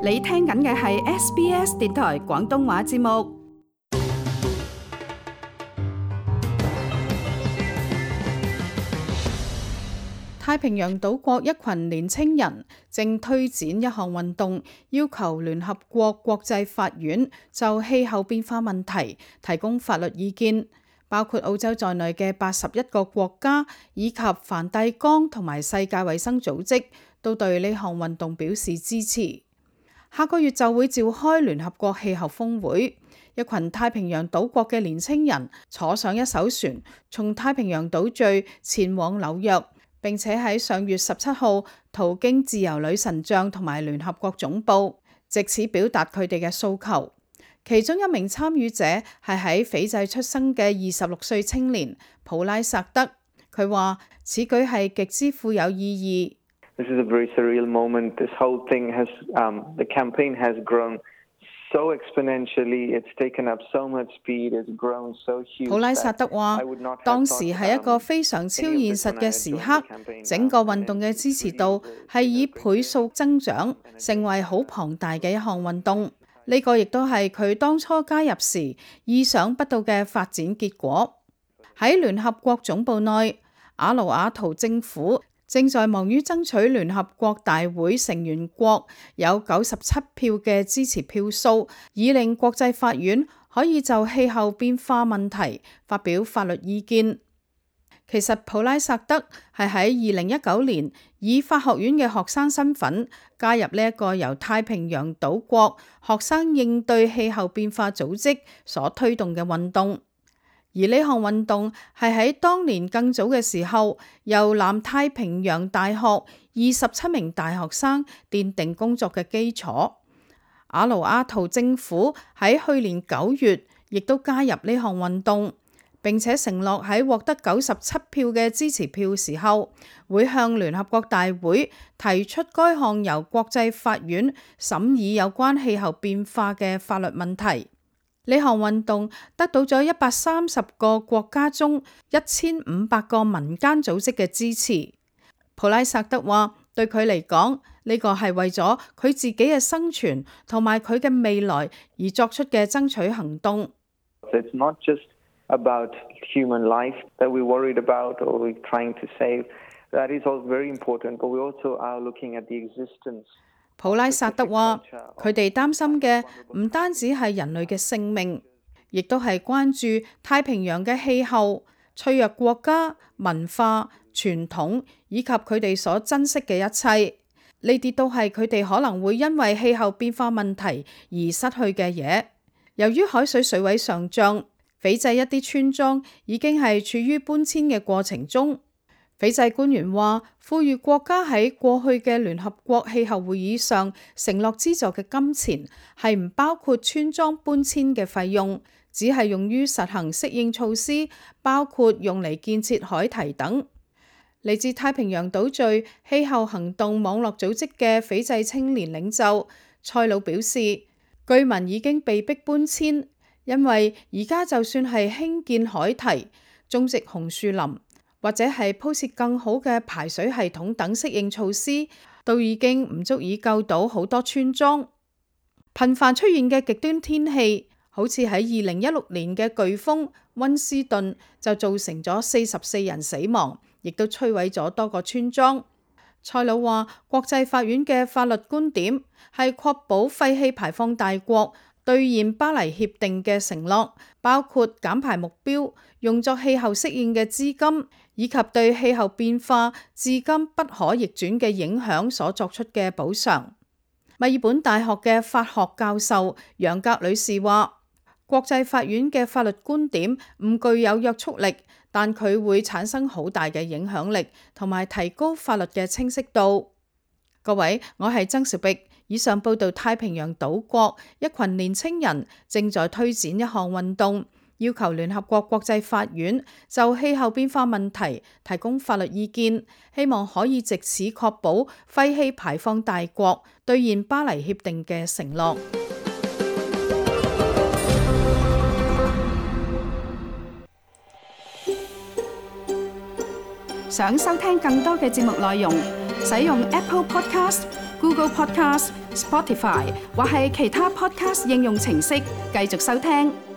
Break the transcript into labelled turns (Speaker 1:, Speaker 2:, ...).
Speaker 1: 你聽緊嘅係 SBS 電台廣東話節目。太平洋島國一群年青人正推展一項運動，要求聯合國國際法院就氣候變化問題提供法律意見，包括澳洲在內嘅81個國家以及梵蒂岡同埋世界衛生組織都對呢項運動表示支持。下個月就會召開聯合國氣候峰會，一群太平洋島國嘅年青人坐上一艘船，從太平洋島嶼前往紐約，並且喺上月17號途經自由女神像同埋聯合國總部，藉此表達佢哋嘅訴求。其中一名參與者係喺斐濟出生嘅26歲青年普拉薩德，佢話此舉係極之富有意義。
Speaker 2: This is a very surreal moment. This whole thing has, the campaign has grown so exponentially. It's taken up so much speed. It's grown so huge.
Speaker 1: 普拉薩德話，當時係一個非常超現實嘅時刻，整個運動嘅支持度係以倍數增長，成為好龐大嘅一項運動。呢個亦都係佢當初加入時意想不到嘅發展結果。喺聯合國總部內，阿魯阿圖政府正在忙於爭取聯合國大會成員國有97票嘅支持票數，以令國際法院可以就氣候變化問題發表法律意見。其實普拉薩德係喺2019年以法學院嘅學生身份加入呢一個由太平洋島國學生應對氣候變化組織所推動嘅運動。而呢項運動係喺當年更早嘅時候，由南太平洋大學27名大學生奠定工作嘅基礎。阿魯阿圖政府喺去年9月亦都加入呢項運動，並且承諾喺獲得97票嘅支持票時候，會向聯合國大會提出該項由國際法院審議有關氣候變化嘅法律問題。呢項運動得到咗130個國家中1500個民間組織嘅支持。普拉薩德話，對佢嚟講，呢個係為咗佢自己嘅生存同埋佢嘅未來而作出嘅爭取行動。
Speaker 2: It's not just about human life that we're worried about or we're trying to save. That is all very important, but we also are looking at the existence.
Speaker 1: 普拉薩德話，佢哋擔心嘅唔單止係人類嘅性命，亦都係關注太平洋嘅氣候、脆弱國家、文化、傳統以及佢哋所珍惜嘅一切。呢啲都係佢哋可能會因為氣候變化問題而失去嘅嘢。由於海水水位上漲，斐濟一啲村莊已經係處於搬遷嘅過程中。斐濟官員話，富裕國家喺過去嘅聯合國氣候會議上承諾資助嘅金錢係唔包括村莊搬遷嘅費用，只係用於實行適應措施，包括用嚟建設海堤等。嚟自太平洋島嶼氣候行動網絡組織嘅斐濟青年領袖塞魯表示，居民已經被迫搬遷，因為而家就算係興建海堤、種植紅樹林，或者係鋪設更好嘅排水系統等適應措施，都已經唔足以救到好多村莊。頻繁出現嘅極端天氣，好似喺2016年嘅颶風溫斯頓就造成咗44人死亡，亦都摧毀咗多個村莊。塞魯話，國際法院嘅法律觀點係確保廢氣排放大國兌現巴黎協定嘅承諾，包括減排目標、用作氣候適應嘅資金，以及對氣候變化至今不可逆轉嘅影響所作出嘅補償。墨爾本大學嘅法學教授楊格女士話，國際法院嘅法律觀點唔具有約束力，但佢會產生好大嘅影響力，同埋提高法律嘅清晰度。各位，我係曾兆碧。以上報道太平洋島國一群年青人正在推展一項運動，要求聯合國國際法院就氣候變化問題提供法律意見，希望可以藉此確保廢氣排放大國兌現巴黎協定嘅承諾。想收聽更多嘅節目內容，使用 Apple Podcast、Google Podcast、Spotify 或係其他 Podcast 應用程式繼續收聽。